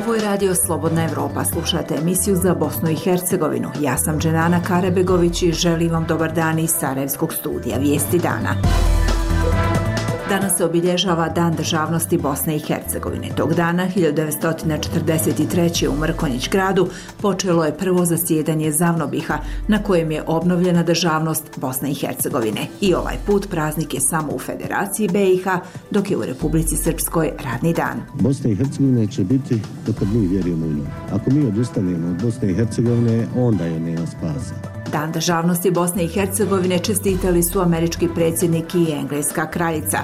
Ovo je radio Slobodna Evropa. Slušate emisiju za Bosnu i Hercegovinu. Ja sam Dženana Karabegović i želim vam dobar dan iz Sarajevskog studija Vijesti dana. Danas se obilježava Dan državnosti Bosne i Hercegovine. Tog dana, 1943. u Mrkonjić gradu, počelo je prvo zasjedanje Zavnobiha, na kojem je obnovljena državnost Bosne i Hercegovine. I ovaj put praznik je samo u Federaciji BiH, dok je u Republici Srpskoj radni dan. Bosna i Hercegovina će biti dokad mi vjerujemo u nju. Ako mi odustanemo od Bosne i Hercegovine, onda je nema spasa. Dan državnosti Bosne i Hercegovine čestitali su američki predsjednik i engleska kraljica.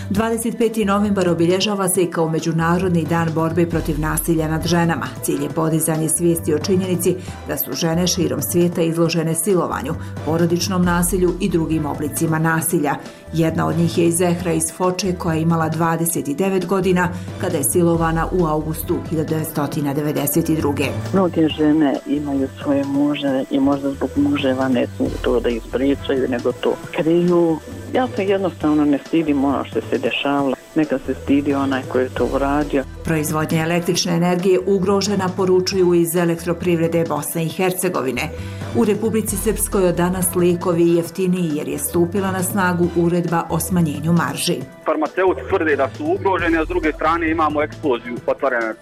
25. novembar obilježava se i kao Međunarodni dan borbe protiv nasilja nad ženama. Cilj je podizanje svijesti o činjenici da su žene širom svijeta izložene silovanju, porodičnom nasilju i drugim oblicima nasilja. Jedna od njih je i Zehra iz Foče, koja je imala 29 godina kada je silovana u augustu 1992. Mnoge žene imaju svoje muže i možda zbog muževa ne smiju to da ispričaju, nego to kriju. Ja se jednostavno ne stidim ono što se dešavalo. Neka se stidi onaj koji je to uradio. Proizvodnja električne energije ugrožena, poručuju iz Elektroprivrede Bosne i Hercegovine. U Republici Srpskoj od danas lijekovi jeftiniji jer je stupila na snagu uredba o smanjenju marži. Farmaceuti tvrde da su ugroženi, a s druge strane imamo eksploziju otvaranja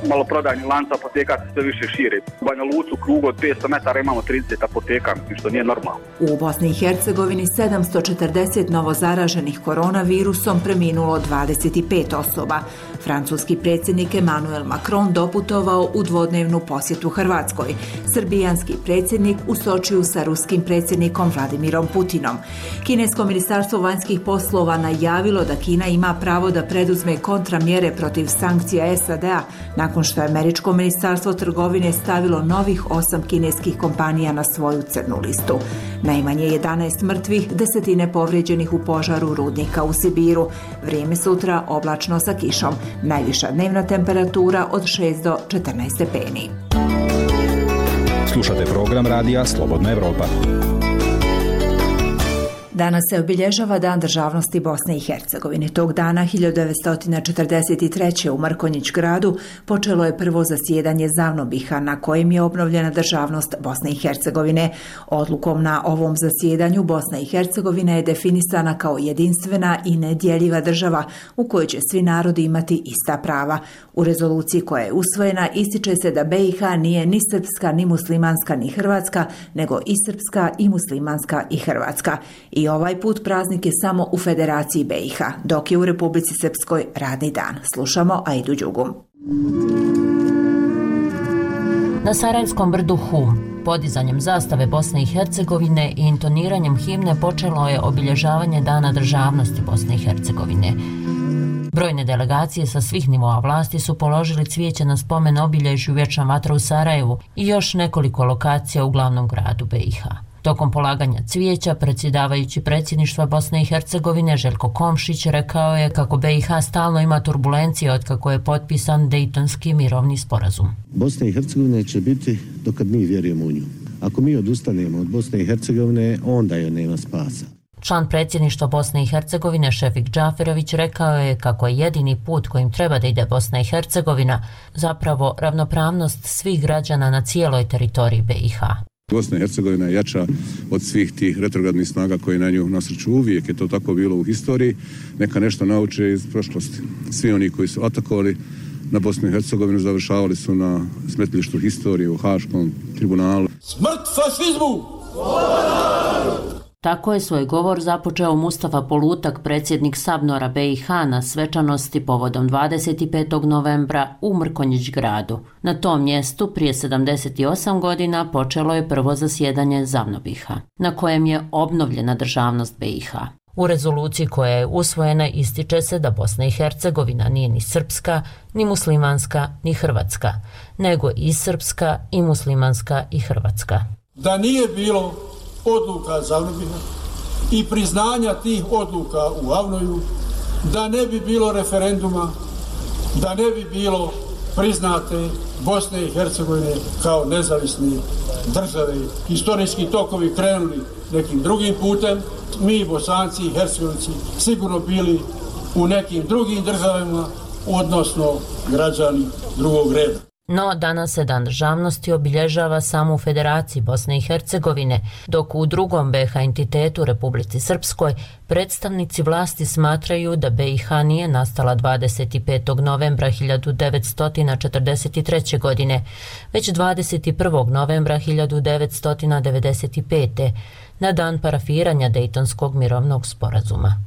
maloprodajnih lanca apoteka se sve više šire. U Banja Luci u krugu od 500 metara imamo 30 apoteka, što nije normalno. U Bosni i Hercegovini 740 novozaraženih koronavirusom, preminulo 25 osoba. Francuski predsjednik Emmanuel Macron doputovao u dvodnevnu posjetu Hrvatskoj. Srbijanski predsjednik u Sočiju sa ruskim predsjednikom Vladimirom Putinom. Kinesko ministarstvo vanjskih poslova najavilo da Kina ima pravo da preduzme kontramjere protiv sankcija SAD-a nakon što je američko ministarstvo trgovine stavilo novih 8 kineskih kompanija na svoju crnu listu. Najmanje 11 mrtvih, desetine povrijeđenih u požaru rudnika u Sibiru. Vrijeme sutra oblačno sa kišom. Najviša dnevna temperatura od 6 do 14 stepeni. Slušate program radija Slobodna Evropa. Danas se obilježava Dan državnosti Bosne i Hercegovine. Tog dana, 1943. u Mrkonjić gradu, počelo je prvo zasjedanje Zavnobiha, na kojem je obnovljena državnost Bosne i Hercegovine. Odlukom na ovom zasjedanju Bosna i Hercegovina je definisana kao jedinstvena i nedjeljiva država u kojoj će svi narodi imati ista prava. U rezoluciji koja je usvojena ističe se da BiH nije ni srpska, ni muslimanska, ni hrvatska, nego i srpska, i muslimanska, i hrvatska. I ovaj put praznik je samo u Federaciji BiH, dok je u Republici Srpskoj radni dan. Slušamo Aidu Đugum. Na Sarajevskom brdu Hum, podizanjem zastave Bosne i Hercegovine i intoniranjem himne počelo je obilježavanje Dana državnosti Bosne i Hercegovine. Brojne delegacije sa svih nivoa vlasti su položili cvijeće na spomen obilježju Vječna vatra u Sarajevu i još nekoliko lokacija u glavnom gradu BiH. Tokom polaganja cvijeća, predsjedavajući predsjedništva Bosne i Hercegovine Željko Komšić rekao je kako BiH stalno ima turbulencije otkako je potpisan Dejtonski mirovni sporazum. Bosna i Hercegovina će biti dokad mi vjerujemo u nju. Ako mi odustanemo od Bosne i Hercegovine, onda je nema spasa. Član predsjedništva Bosne i Hercegovine Šefik Džaferović rekao je kako je jedini put kojim treba da ide Bosna i Hercegovina zapravo ravnopravnost svih građana na cijeloj teritoriji BiH. Bosna i Hercegovina je jača od svih tih retrogradnih snaga koje na nju nasrću. Uvijek je to tako bilo u historiji. Neka nešto nauče iz prošlosti. Svi oni koji su atakovali na Bosnu i Hercegovinu završavali su na smetlištu historije u Haškom tribunalu. Smrt fašizmu! Tako je svoj govor započeo Mustafa Polutak, predsjednik Sabnora BiH, na svečanosti povodom 25. novembra u Mrkonjić gradu. Na tom mjestu prije 78 godina počelo je prvo zasjedanje Zavnobiha, na kojem je obnovljena državnost BiH. U rezoluciji koja je usvojena ističe se da Bosna i Hercegovina nije ni srpska, ni muslimanska, ni hrvatska, nego i srpska, i muslimanska, i hrvatska. Da nije bilo odluka Zavnobiha i priznanja tih odluka u Avnoju, da ne bi bilo referenduma, da ne bi bilo priznate Bosne i Hercegovine kao nezavisne države. Historijski tokovi krenuli nekim drugim putem, mi Bosanci i Hercegovci sigurno bili u nekim drugim državama odnosno građani drugog reda. No, danas se Dan državnosti obilježava samo u Federaciji Bosne i Hercegovine, dok u drugom BiH entitetu Republici Srpskoj predstavnici vlasti smatraju da BiH nije nastala 25. novembra 1943. godine, već 21. novembra 1995. na dan parafiranja Dejtonskog mirovnog sporazuma.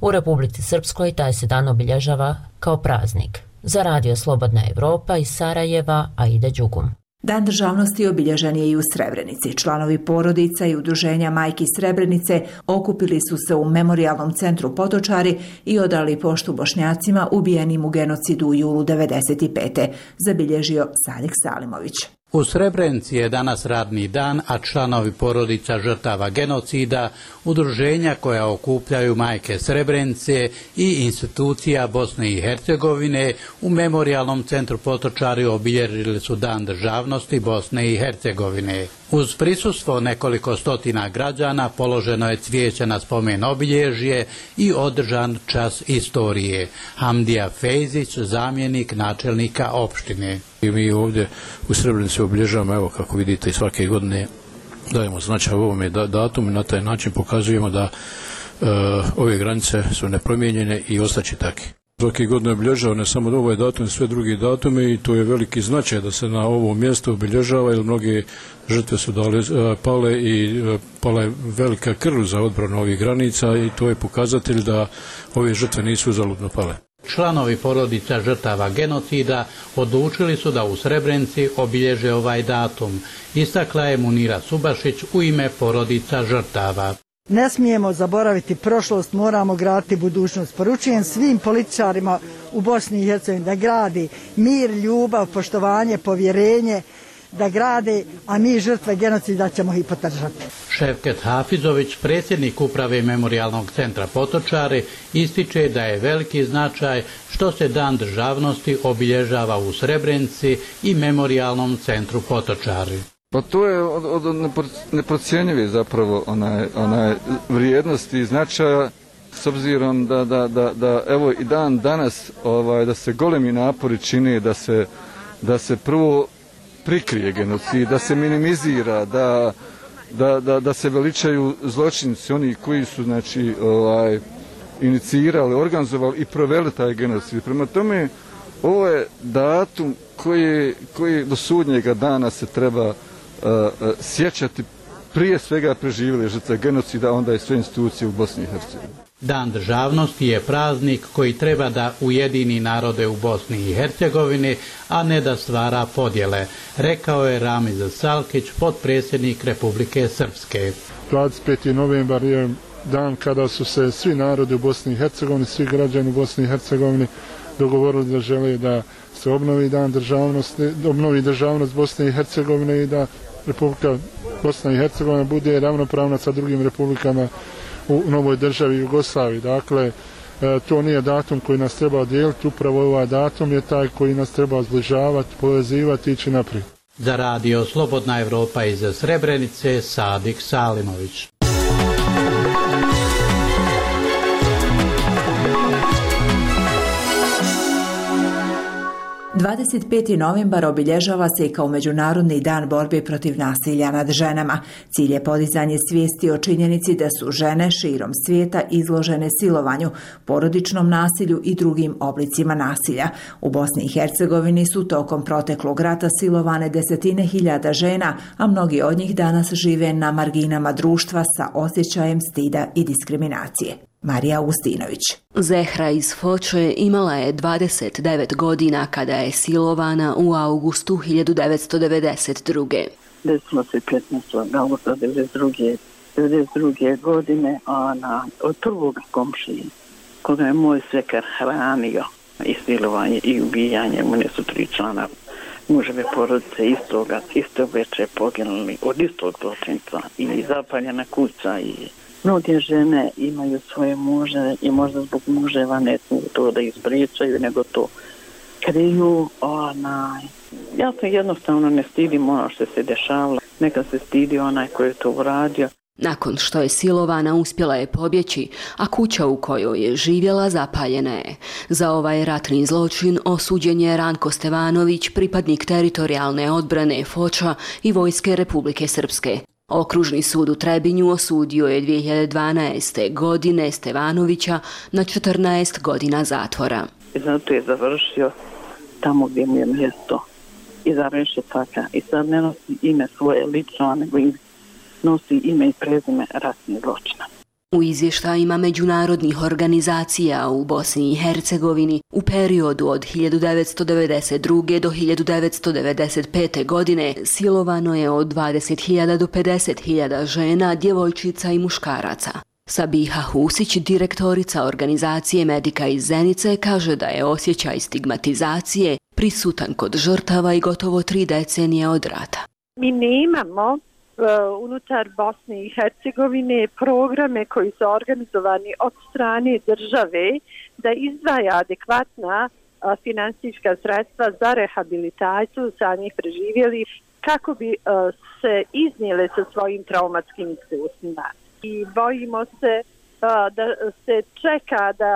U Republici Srpskoj taj se dan obilježava kao praznik. Za Radio Slobodna Evropa iz Sarajeva, Aida Đugum. Dan državnosti obilježen je i u Srebrenici. Članovi porodica i udruženja Majki Srebrenice okupili su se u Memorijalnom centru Potočari i odali poštu Bošnjacima ubijenim u genocidu u julu 1995. zabilježio Sadik Salimović. U Srebrenici je danas radni dan, a članovi porodica žrtava genocida, udruženja koja okupljaju majke Srebrenice i institucija Bosne i Hercegovine u Memorijalnom centru Potočari obilježili su Dan državnosti Bosne i Hercegovine. Uz prisustvo nekoliko stotina građana položeno je cvijeće na spomen obilježje i održan čas istorije. Hamdija Fejzić, zamjenik načelnika opštine. I mi ovdje u Srebrenici obilježavamo, evo kako vidite, i svake godine dajemo značaj ovome datumu i na taj način pokazujemo da ove granice su nepromijenjene i ostaće takve. Svake godine obilježava ne samo ovaj datum, sve drugi datume i to je veliki značaj da se na ovom mjestu obilježava jer mnoge žrtve su pale i pala je velika krv za odbranu ovih granica i to je pokazatelj da ove žrtve nisu uzaludno pale. Članovi porodica žrtava genocida odlučili su da u Srebrenici obilježe ovaj datum, istakla je Munira Subašić u ime porodica žrtava. Ne smijemo zaboraviti prošlost, moramo graditi budućnost. Poručujem svim političarima u Bosni i Hercegovini da gradi mir, ljubav, poštovanje, povjerenje, da grade, a mi žrtve genocida ćemo ih podržati. Ševket Hafizović, predsjednik uprave Memorijalnog centra Potočari, ističe da je veliki značaj što se Dan državnosti obilježava u Srebrenici i Memorijalnom centru Potočari. Pa to je od neprocjenjive zapravo onaj vrijednosti i značaja s obzirom da evo i dan danas da se golemi napori čine da se prvo prikrije genocid, da se minimizira, da se veličaju zločinci, oni koji su inicirali, organizovali i proveli taj genocid. Prema tome, ovo je datum koji do sudnjega dana se treba sjećati prije svega preživjeli žrtve genocida, onda i sve institucije u Bosni i Hercegovini. Dan državnosti je praznik koji treba da ujedini narode u Bosni i Hercegovini, a ne da stvara podjele, rekao je Ramiz Salkić, potpredsjednik Republike Srpske. 25. novembar je dan kada su se svi narodi u Bosni i Hercegovini, svi građani u Bosni i Hercegovini dogovorili da žele da se obnovi dan državnosti, obnovi državnost Bosne i Hercegovine i da Republika Bosna i Hercegovina bude ravnopravna sa drugim republikama u novoj državi Jugoslaviji. Dakle, to nije datum koji nas treba dijeliti, upravo ovaj datum je taj koji nas treba zbližavati, povezivati i ići naprijed. Za Radio Slobodna Evropa iz Srebrenice, Sadik Salimović. 25. novembar obilježava se i kao Međunarodni dan borbe protiv nasilja nad ženama. Cilj je podizanje svijesti o činjenici da su žene širom svijeta izložene silovanju, porodičnom nasilju i drugim oblicima nasilja. U Bosni i Hercegovini su tokom proteklog rata silovane desetine hiljada žena, a mnogi od njih danas žive na marginama društva sa osjećajem stida i diskriminacije. Marija Augustinović. Zehra iz Foče imala je 29 godina kada je silovana u augustu 1992. Desilo se 15. augusta 1992. godine od prvog komšije, koga je moj svekar hranio i silovanje i ubijanje. Mune su 3 člana muževe porodice istog večer poginuli od istog zločinca i zapaljena kuća i mnoge žene imaju svoje muže i možda zbog muževa ne smiju to da ispričaju, nego to kriju. Ja se jednostavno ne stidim ono što se dešavalo. Neka se stidi onaj koji je to uradio. Nakon što je silovana, uspjela je pobjeći, a kuća u kojoj je živjela zapaljena je. Za ovaj ratni zločin osuđen je Ranko Stevanović, pripadnik teritorijalne odbrane Foča i Vojske Republike Srpske. Okružni sud u Trebinju osudio je 2012. godine Stevanovića na 14 godina zatvora. Zato je završio tamo gdje mu je mjesto iza rešetaka i sad ne nosi ime svoje lično, nego nosi ime i prezime ratnih zločina. U izvještajima međunarodnih organizacija u Bosni i Hercegovini u periodu od 1992. do 1995. godine silovano je od 20.000 do 50.000 žena, djevojčica i muškaraca. Sabiha Husić, direktorica organizacije Medika iz Zenice, kaže da je osjećaj stigmatizacije prisutan kod žrtava i gotovo 3 decenije od rata. Mi nemamo unutar Bosne i Hercegovine programe koji su organizovani od strane države da izdvaja adekvatna finansijska sredstva za rehabilitaciju samih preživjelih kako bi se iznijele sa svojim traumatskim iskustvima. I bojimo se da se čeka da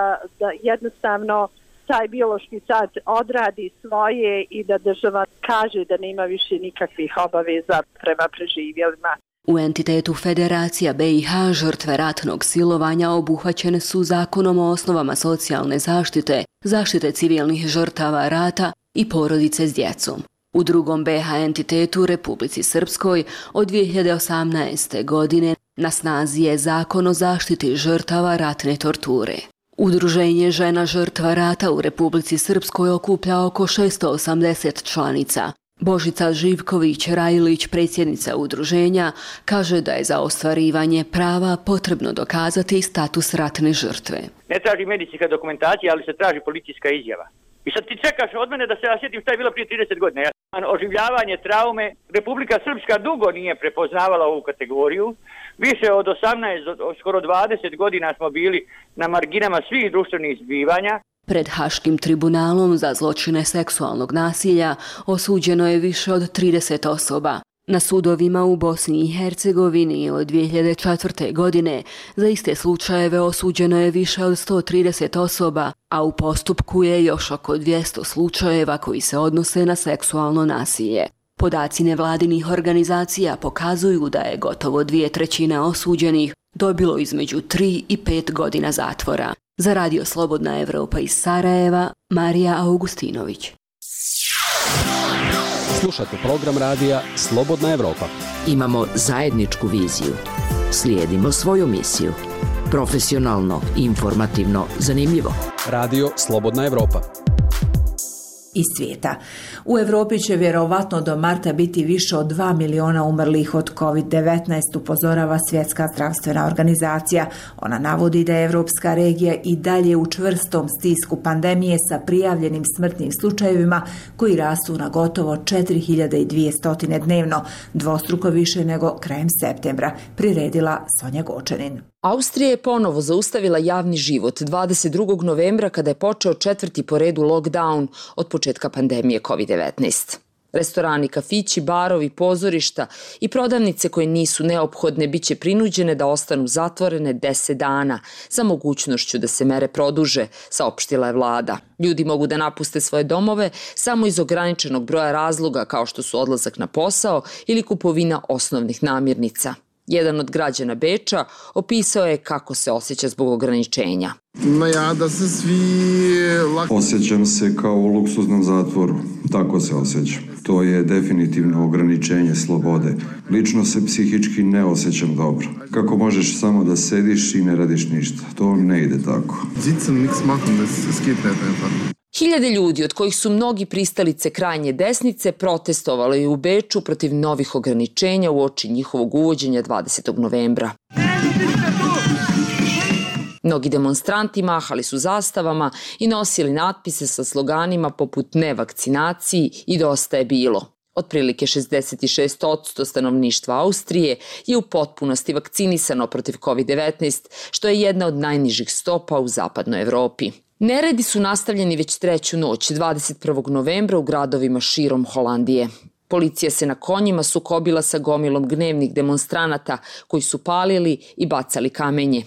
jednostavno taj biološki sat odradi svoje i da država kaže da nema više nikakvih obaveza prema preživjelima. U entitetu Federacija BiH žrtve ratnog silovanja obuhvaćene su Zakonom o osnovama socijalne zaštite, zaštite civilnih žrtava rata i porodice s djecom. U drugom BiH entitetu Republici Srpskoj od 2018. godine na snazi je Zakon o zaštiti žrtava ratne torture. Udruženje žena žrtva rata u Republici Srpskoj okuplja oko 680 članica. Božica Živković-Rajlić, predsjednica udruženja, kaže da je za ostvarivanje prava potrebno dokazati status ratne žrtve. Ne traži medicinska dokumentacija, ali se traži policijska izjava. I sad ti čekaš od mene da se ja sjetim šta je bilo prije 30 godina. Oživljavanje traume, Republika Srpska dugo nije prepoznavala ovu kategoriju. Više od 18, skoro 20 godina smo bili na marginama svih društvenih zbivanja. Pred Haškim tribunalom za zločine seksualnog nasilja osuđeno je više od 30 osoba. Na sudovima u Bosni i Hercegovini od 2004. godine za iste slučajeve osuđeno je više od 130 osoba, a u postupku je još oko 200 slučajeva koji se odnose na seksualno nasilje. Podaci nevladinih organizacija pokazuju da je gotovo 2/3 osuđenih dobilo između 3 i 5 godina zatvora. Za Radio Slobodna Evropa iz Sarajeva, Marija Augustinović. Slušate program radija Slobodna Evropa. Imamo zajedničku viziju. Slijedimo svoju misiju. Profesionalno, informativno, zanimljivo. Radio Slobodna Evropa. Iz svijeta. U Europi će vjerovatno do marta biti više od 2 miliona umrlih od COVID-19, upozorava Svjetska zdravstvena organizacija. Ona navodi da je evropska regija i dalje u čvrstom stisku pandemije sa prijavljenim smrtnim slučajevima koji rastu na gotovo 4200 dnevno, dvostruko više nego krajem septembra, priredila Sonja Gočanin. Austrija je ponovo zaustavila javni život 22. novembra kada je počeo 4. po redu lockdown od početka pandemije COVID-19. Restorani, kafići, barovi, pozorišta i prodavnice koje nisu neophodne biće prinuđene da ostanu zatvorene 10 dana sa mogućnošću da se mere produže, saopštila je vlada. Ljudi mogu da napuste svoje domove samo iz ograničenog broja razloga kao što su odlazak na posao ili kupovina osnovnih namirnica. Jedan od građana Beča opisao je kako se osjeća zbog ograničenja. Osjećam se kao u luksuznom zatvoru, tako se osjećam. To je definitivno ograničenje slobode. Lično se psihički ne osjećam dobro. Kako možeš samo da sediš i ne radiš ništa? To ne ide tako. Hiljade ljudi, od kojih su mnogi pristalice krajnje desnice, protestovalo je u Beču protiv novih ograničenja uoči njihovog uvođenja 20. novembra. Mnogi demonstranti mahali su zastavama i nosili natpise sa sloganima poput "Ne vakcinaciji" i "Dosta je bilo". Otprilike 66% stanovništva Austrije je u potpunosti vakcinisano protiv COVID-19, što je jedna od najnižih stopa u zapadnoj Evropi. Neredi su nastavljeni već treću noć, 21. novembra u gradovima širom Holandije. Policija se na konjima sukobila sa gomilom gnevnih demonstranata koji su palili i bacali kamenje.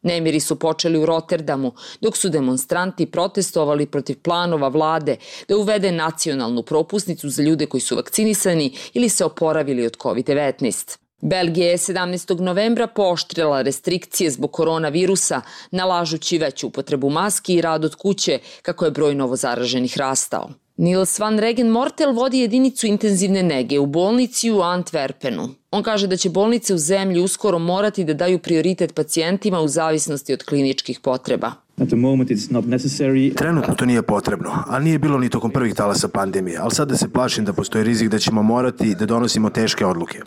Nemiri su počeli u Rotterdamu, dok su demonstranti protestovali protiv planova vlade da uvede nacionalnu propusnicu za ljude koji su vakcinisani ili se oporavili od COVID-19. Belgija je 17. novembra pooštrila restrikcije zbog koronavirusa, nalažući veću upotrebu maski i rad od kuće kako je broj novozaraženih rastao. Niels van Regen Mortel vodi jedinicu intenzivne nege u bolnici u Antwerpenu. On kaže da će bolnice u zemlji uskoro morati da daju prioritet pacijentima u zavisnosti od kliničkih potreba. Trenutno to nije potrebno, ali nije bilo ni tokom prvih talasa pandemije, ali sada se plašim da postoji rizik da ćemo morati da donosimo teške odluke.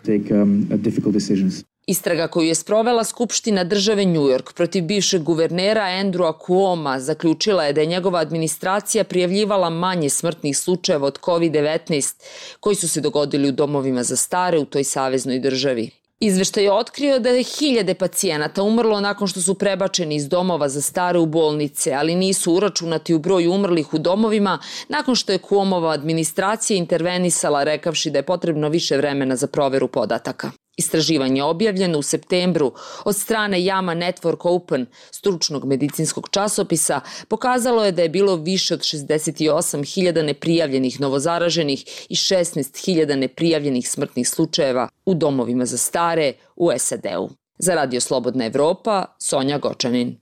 Istraga koju je sprovela Skupština države New York protiv bivšeg guvernera Andrewa Cuoma zaključila je da je njegova administracija prijavljivala manje smrtnih slučajeva od COVID-19 koji su se dogodili u domovima za stare u toj saveznoj državi. Izveštaj je otkrio da je 1000 pacijenata umrlo nakon što su prebačeni iz domova za stare u bolnice, ali nisu uračunati u broj umrlih u domovima nakon što je Cuomova administracija intervenisala rekavši da je potrebno više vremena za proveru podataka. Istraživanje objavljeno u septembru od strane JAMA Network Open, stručnog medicinskog časopisa, pokazalo je da je bilo više od 68.000 neprijavljenih novozaraženih i 16.000 neprijavljenih smrtnih slučajeva u domovima za stare u SAD-u. Za Radio Slobodna Evropa, Sonja Gočanin.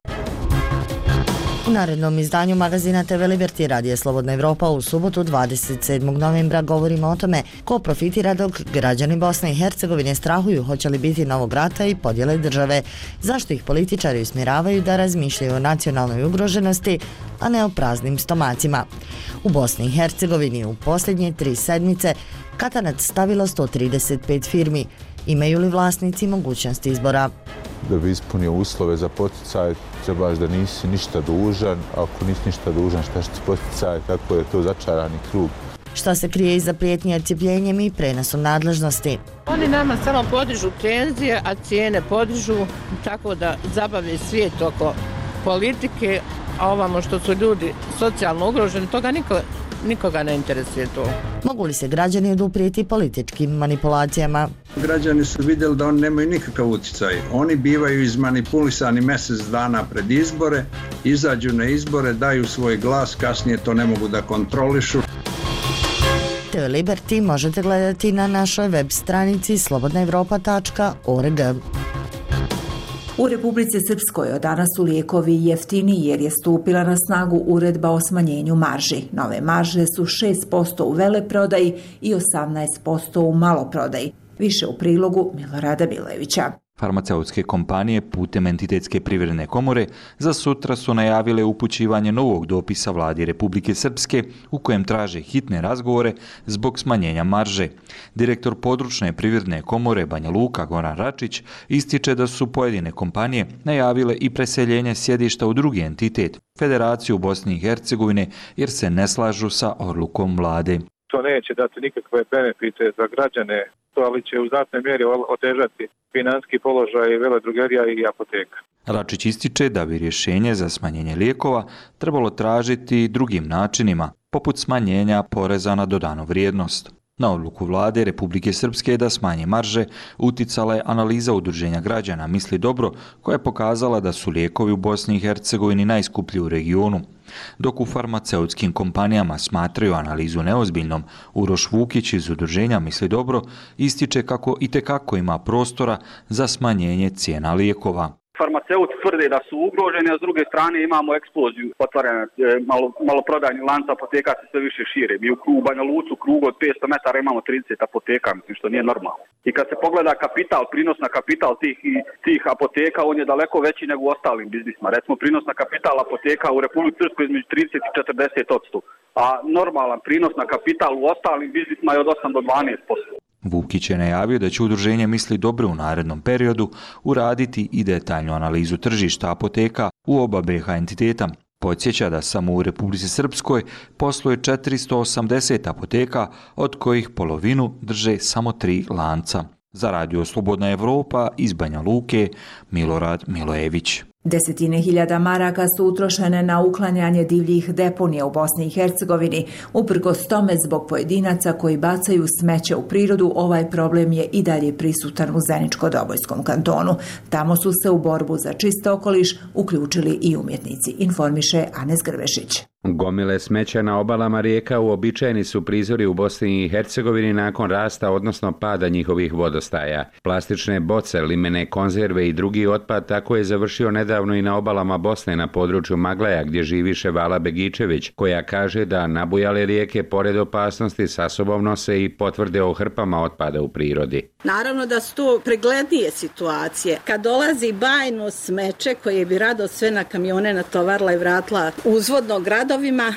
U narednom izdanju magazina TV Liberty Radija Slobodna Evropa u subotu 27. novembra govorimo o tome ko profitira dok građani Bosne i Hercegovine strahuju hoće li biti novog rata i podjele države, zašto ih političari usmjeravaju da razmišljaju o nacionalnoj ugroženosti, a ne o praznim stomacima. U Bosni i Hercegovini u posljednje 3 sedmice katanac stavilo 135 firmi. Imaju li vlasnici mogućnosti izbora? Da bi ispunio uslove za poticaj, trebaš da nisi ništa dužan. Ako nisi ništa dužan, šta će ti poticaj, kako je to začarani krug. Šta se krije iza prijetnje odcjepljenjem i prenosom nadležnosti? Oni nama samo podižu tenzije, a cijene podižu, tako da zabave svijet oko politike, a ovamo što su ljudi socijalno ugroženi, toga nikoga ne interesuje to. Mogu li se građani oduprijeti političkim manipulacijama? Građani su vidjeli da oni nemaju nikakav utjecaj. Oni bivaju izmanipulisani mjesec dana pred izbore, izađu na izbore, daju svoj glas, kasnije to ne mogu da kontrolišu. TV Liberty možete gledati na našoj web stranici slobodnaevropa.org. U Republici Srpskoj od danas su lijekovi jeftiniji jer je stupila na snagu uredba o smanjenju marži. Nove marže su 6% u veleprodaji i 18% u maloprodaji. Više u prilogu Milorada Bilevića. Farmaceutske kompanije putem Entitetske privredne komore za sutra su najavile upućivanje novog dopisa vladi Republike Srpske u kojem traže hitne razgovore zbog smanjenja marže. Direktor područne privredne komore Banja Luka Goran Račić ističe da su pojedine kompanije najavile i preseljenje sjedišta u drugi entitet, Federaciju Bosne i Hercegovine, jer se ne slažu sa odlukom vlade. To neće dati nikakve benefite za građane, ali će u znatnoj mjeri otežati financijski položaj veledrogerija i apoteka. Račić ističe da bi rješenje za smanjenje lijekova trebalo tražiti drugim načinima, poput smanjenja poreza na dodanu vrijednost. Na odluku vlade Republike Srpske da smanje marže uticala je analiza udruženja građana Misli dobro, koja je pokazala da su lijekovi u Bosni i Hercegovini najskuplji u regionu. Dok u farmaceutskim kompanijama smatraju analizu neozbiljnom, Uroš Vukić iz udruženja Misli dobro ističe kako itekako ima prostora za smanjenje cijena lijekova. Farmaceuti tvrde da su ugroženi, a s druge strane imamo eksploziju otvaranja maloprodajnih lanca apoteka se sve više šire. Mi u Banja Luci u krugu od 500 metara imamo 30 apoteka, mislim što nije normalno. I kad se pogleda kapital, prinos na kapital tih apoteka, on je daleko veći nego u ostalim biznisima. Recimo prinos na kapital apoteka u Republici Srpskoj između 30 i 40%, a normalan prinos na kapital u ostalim biznisima je od 8 do 12%. Vukić je najavio da će udruženje Misli dobro u narednom periodu uraditi i detaljnu analizu tržišta apoteka u oba BiH entiteta. Podsjeća da samo u Republici Srpskoj posluje 480 apoteka, od kojih polovinu drže samo 3 lanca. Za Radio Slobodna Evropa iz Banja Luke, Milorad Milojević. Desetine hiljada maraka su utrošene na uklanjanje divljih deponija u Bosni i Hercegovini. Uprkos tome, zbog pojedinaca koji bacaju smeće u prirodu, ovaj problem je i dalje prisutan u Zeničko-Dobojskom kantonu. Tamo su se u borbu za čist okoliš uključili i umjetnici, informiše Anes Grbešić. Gomile smeća na obalama rijeka uobičajeni su prizori u Bosni i Hercegovini nakon rasta, odnosno pada njihovih vodostaja. Plastične boce, limene konzerve i drugi otpad tako je završio nedavno i na obalama Bosne na području Maglaja, gdje živi Ševala Begičević, koja kaže da nabujale rijeke pored opasnosti sa sobom nose i potvrde o hrpama otpada u prirodi. Naravno da su to preglednije situacije. Kad dolazi bajno smeće koje bi rado sve na kamione natovarila i vratila uzvodno gradovima.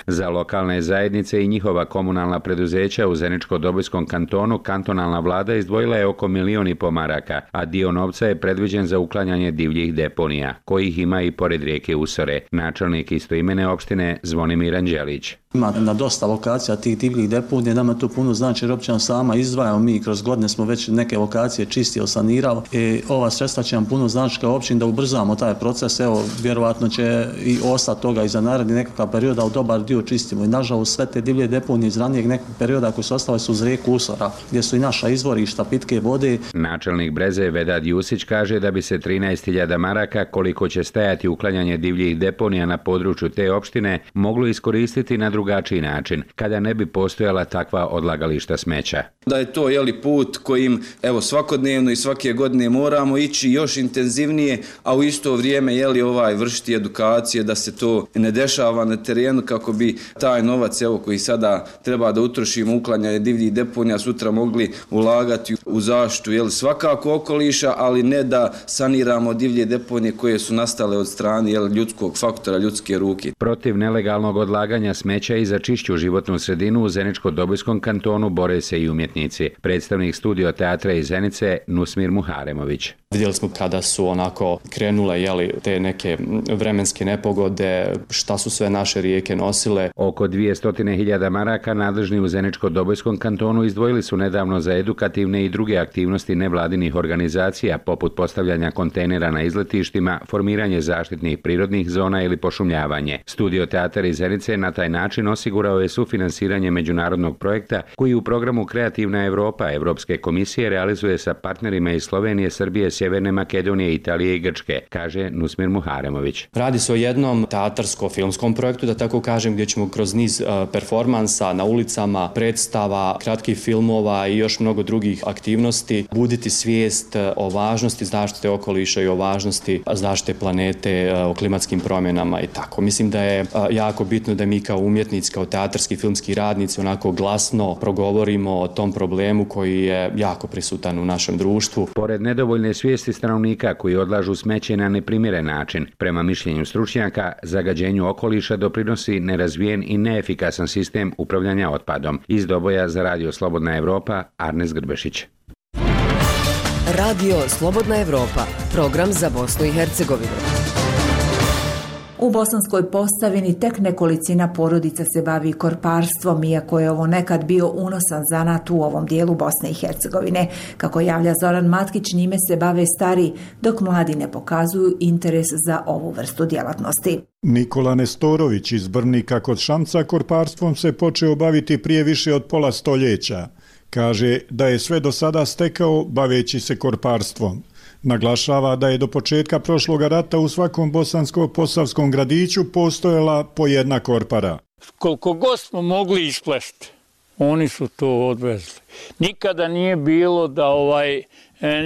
Za lokalne zajednice i njihova komunalna preduzeća u Zeničko-Dobojskom kantonu kantonalna vlada izdvojila je oko 1,5 miliona maraka, a dio novca je predviđen za uklanjanje divljih deponija, kojih ima i pored rijeke Usore. Načelnik istoimene opštine Zvonimir Anđelić. Ima na dosta lokacija tih divljih deponija, nama to puno znači jer općina sama izdvajamo, mi kroz godine smo već neke lokacije čistili, sanirali i ova sredstva će nam puno znači kao općina da ubrzamo taj proces, evo vjerovatno će i ostati toga i za naredni nekakav period, ali dobar dio čistimo i nažalost sve te divlje deponije iz ranijeg nekog perioda koji su ostale su uz rijeku Usora, gdje su i naša izvorišta pitke vode. Načelnik Breze Vedad Jusić kaže da bi se 13.000 maraka, koliko će stajati uklanjanje divljih deponija na području te opštine, moglo iskoristiti na drugačiji način, kada ne bi postojala takva odlagališta smeća. Da je to put kojim svakodnevno i svake godine moramo ići još intenzivnije, a u isto vrijeme vršiti edukacije da se to ne dešava na terenu kako bi taj novac koji sada treba da utrošimo uklanjanje divljih deponija sutra mogli ulagati u zaštitu svakako okoliša, ali ne da saniramo divlje deponije koje su nastale od strane ljudskog faktora, ljudske ruke. Protiv nelegalnog odlaganja smeća i za čišću životnu sredinu u Zeničko-Dobojskom kantonu bore se i umjetnici. Predstavnik Studio teatra iz Zenice Nusmir Muharemović. Vidjeli smo kada su krenule te neke vremenske nepogode, šta su sve naše rijeke nosile. Oko 200.000 maraka nadležni u Zeničko-Dobojskom kantonu izdvojili su nedavno za edukativne i druge aktivnosti nevladinih organizacija, poput postavljanja kontejnera na izletištima, formiranje zaštitnih prirodnih zona ili pošumljavanje. Studio teatar iz Zenice na taj način osigurao je sufinansiranje međunarodnog projekta koji u programu Kreativna Evropa Evropske komisije realizuje sa partnerima iz Slovenije, Srbije, Sjeverne Makedonije, Italije i Grčke, kaže Nusmir Muharemović. Radi se o jednom teatarsko-filmskom projektu, da tako kažem, gdje ćemo kroz niz performansa na ulicama, predstava, kratkih filmova i još mnogo drugih aktivnosti buditi svijest o važnosti zaštite okoliša i o važnosti zaštite planete, o klimatskim promjenama i tako. Mislim da je jako bitno da mi kao umjetnici, kao teatarski filmski radnici glasno progovorimo o tom problemu koji je jako prisutan u našem društvu. Pored nedovoljne svijesti stanovnika koji odlažu smeće na neprimjeren način, prema mišljenju stručnjaka, zagađenju okoliša doprinosi nerazvijen i neefikasan sistem upravljanja otpadom. Iz Doboja za Radio Slobodna Evropa, Arnes Grbešić. Radio Slobodna Evropa, program za Bosnu i Hercegovinu. U Bosanskoj Posavini tek nekolicina porodica se bavi korparstvom, iako je ovo nekad bio unosan zanat u ovom dijelu Bosne i Hercegovine. Kako javlja Zoran Matkić, njime se bave stari, dok mladi ne pokazuju interes za ovu vrstu djelatnosti. Nikola Nestorović iz Brnika kod Šamca korparstvom se počeo baviti prije više od pola stoljeća. Kaže da je sve do sada stekao baveći se korparstvom. Naglašava da je do početka prošloga rata u svakom bosansko-posavskom gradiću postojala po jedna korpara. Koliko god smo mogli isplesti, oni su to odvezli. Nikada nije bilo da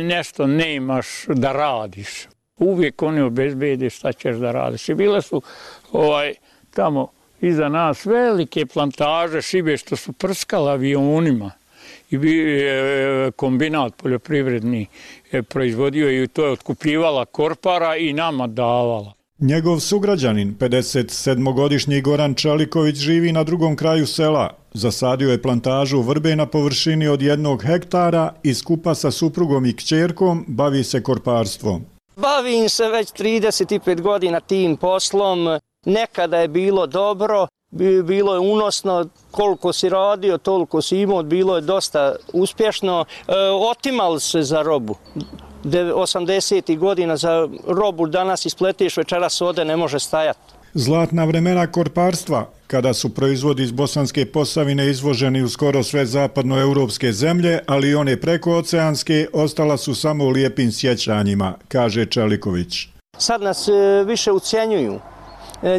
nešto ne imaš da radiš. Uvijek oni obezbede šta ćeš da radiš. I bile su tamo iza nas velike plantaže šibe što su prskala avionima. I kombinat poljoprivredni proizvodio i to je otkupljivala korpara i nama davala. Njegov sugrađanin, 57-godišnji Goran Čaliković, živi na drugom kraju sela. Zasadio je plantažu vrbe na površini od 1 hektara i skupa sa suprugom i kćerkom bavi se korparstvom. Bavim se već 35 godina tim poslom. Nekada je bilo dobro. Bilo je unosno, koliko si radio, toliko si imao, bilo je dosta uspješno. Otimali se za robu. 80. godina za robu danas ispletiš, večeras ode, ne može stajati. Zlatna vremena korparstva, kada su proizvodi iz Bosanske Posavine izvoženi u skoro sve zapadnoevropske zemlje, ali i one prekooceanske, ostala su samo u lijepim sjećanjima, kaže Čeliković. Sad nas više ucjenjuju.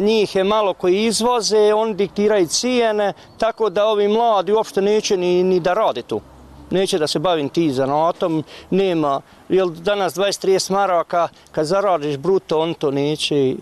Njih je malo koji izvoze, oni diktiraju cijene, tako da ovi mladi uopšte neće ni da rade tu. Neće da se bavim ti zanatom, nema, jer danas 20-30 maraka, kad zaradiš bruto, on to neće,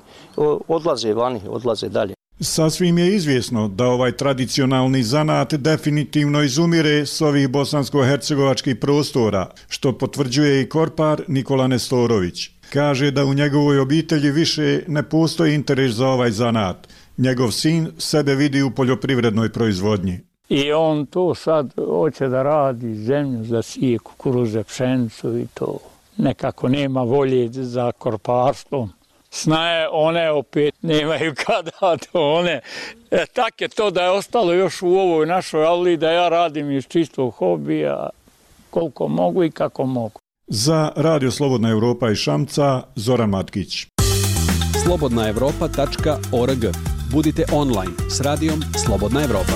odlaze vani, odlaze dalje. Sasvim je izvjesno da ovaj tradicionalni zanat definitivno izumire s ovih bosansko-hercegovačkih prostora, što potvrđuje i korpar Nikola Nestorović. Kaže da u njegovoj obitelji više ne postoji interes za ovaj zanat. Njegov sin sebe vidi u poljoprivrednoj proizvodnji. I on to sad hoće da radi, zemlju za sije, kukuruze, pšenicu i to. Nekako nema volje za korparstvom. Snaje one opet nemaju kada to one. Tak je to da je ostalo još u ovoj našoj avli da ja radim iz čistog hobija koliko mogu i kako mogu. Za Radio Slobodna Evropa iz Šamca, Zoran Matkić. slobodnaevropa.org. Budite online s radijom Slobodna Evropa.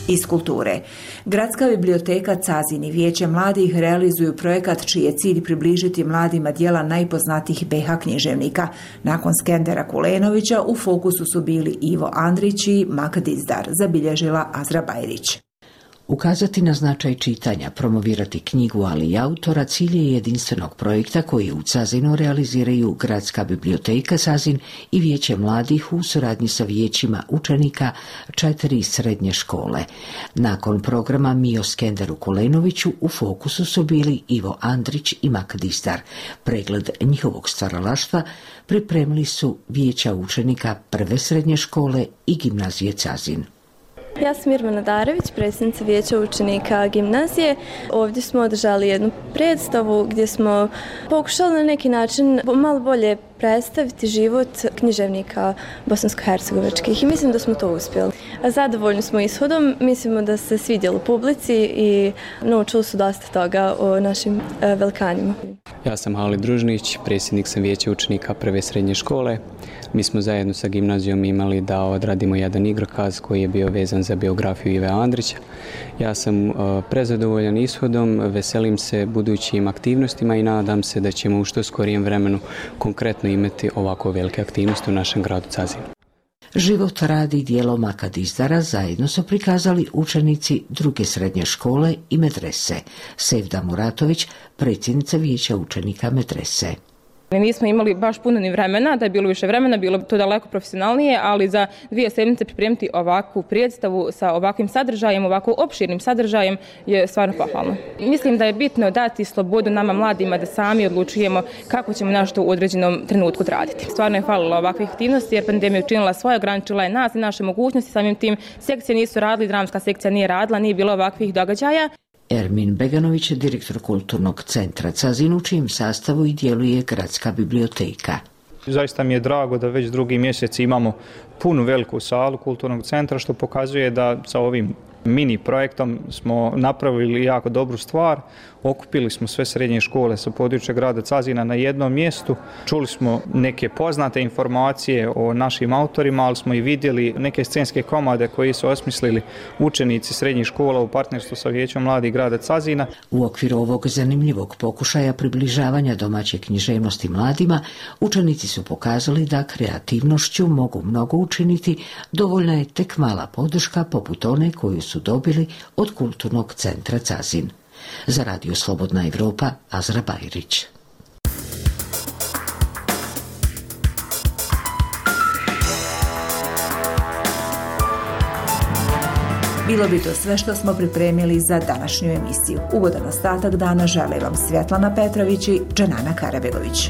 Iz kulture. Gradska biblioteka Cazin i Vijeće mladih realizuju projekat čiji je cilj približiti mladima djela najpoznatijih BiH književnika. Nakon Skendera Kulenovića u fokusu su bili Ivo Andrić i Mak Dizdar, zabilježila Azra Bajrić. Ukazati na značaj čitanja, promovirati knjigu, ali i autora, cilj je jedinstvenog projekta koji u Cazinu realiziraju Gradska biblioteka Cazin i Vijeće mladih u suradnji sa vijećima učenika 4 srednje škole. Nakon programa Mi o Skenderu Kulenoviću u fokusu su bili Ivo Andrić i Mak Dizdar. Pregled njihovog stvaralaštva pripremili su vijeća učenika 1. srednje škole i gimnazije Cazin. Ja sam Irmana Darević, predsjednica vijeća učenika gimnazije. Ovdje smo održali jednu predstavu gdje smo pokušali na neki način malo bolje predstaviti život književnika bosansko-hercegovačkih i mislim da smo to uspjeli. Zadovoljni smo ishodom, mislimo da se svidjelo publici i naučili su dosta toga o našim velikanima. Ja sam Halid Družnić, predsjednik sam vijeća učenika 1. srednje škole. Mi smo zajedno sa gimnazijom imali da odradimo jedan igrokaz koji je bio vezan za biografiju Ive Andrića. Ja sam prezadovoljan ishodom, veselim se budućim aktivnostima i nadam se da ćemo u što skorijem vremenu konkretno imati ovako velike aktivnosti u našem gradu Cazinu. Život, rad i djelo Maka Dizdara zajedno su prikazali učenici 2. srednje škole i medrese. Sevda Muratović, predsjednica vijeća učenika medrese. Nismo imali baš puno ni vremena, da je bilo više vremena, bilo to daleko profesionalnije, ali za 2 sedmice pripremiti ovakvu predstavu sa ovakvim sadržajem, ovako opširnim sadržajem je stvarno pohvalno. Mislim da je bitno dati slobodu nama mladima da sami odlučujemo kako ćemo nešto u određenom trenutku raditi. Stvarno je falilo ovakvih aktivnosti jer pandemija učinila svoje, ograničila je nas i naše mogućnosti, samim tim sekcije nisu radili, dramska sekcija nije radila, nije bilo ovakvih događaja. Ermin Beganović, direktor Kulturnog centra Cazin, u čijem sastavu i djeluje Gradska biblioteka. Zaista mi je drago da već 2. mjesec imamo punu veliku salu Kulturnog centra, što pokazuje da sa ovim mini projektom smo napravili jako dobru stvar. Okupili smo sve srednje škole sa područja grada Cazina na jednom mjestu. Čuli smo neke poznate informacije o našim autorima, ali smo i vidjeli neke scenske komade koje su osmislili učenici srednjih škola u partnerstvu sa Vijećom mladih grada Cazina. U okviru ovog zanimljivog pokušaja približavanja domaće književnosti mladima, učenici su pokazali da kreativnošću mogu mnogo učiniti, dovoljna je tek mala podrška poput one koju su dobili od Kulturnog centra Cazin. Za Radio Slobodna Evropa, Azra Bajrić. Bilo bi to sve što smo pripremili za današnju emisiju. Ugodan ostatak dana žele vam Svjetlana Petrović i Dženana Karabegović.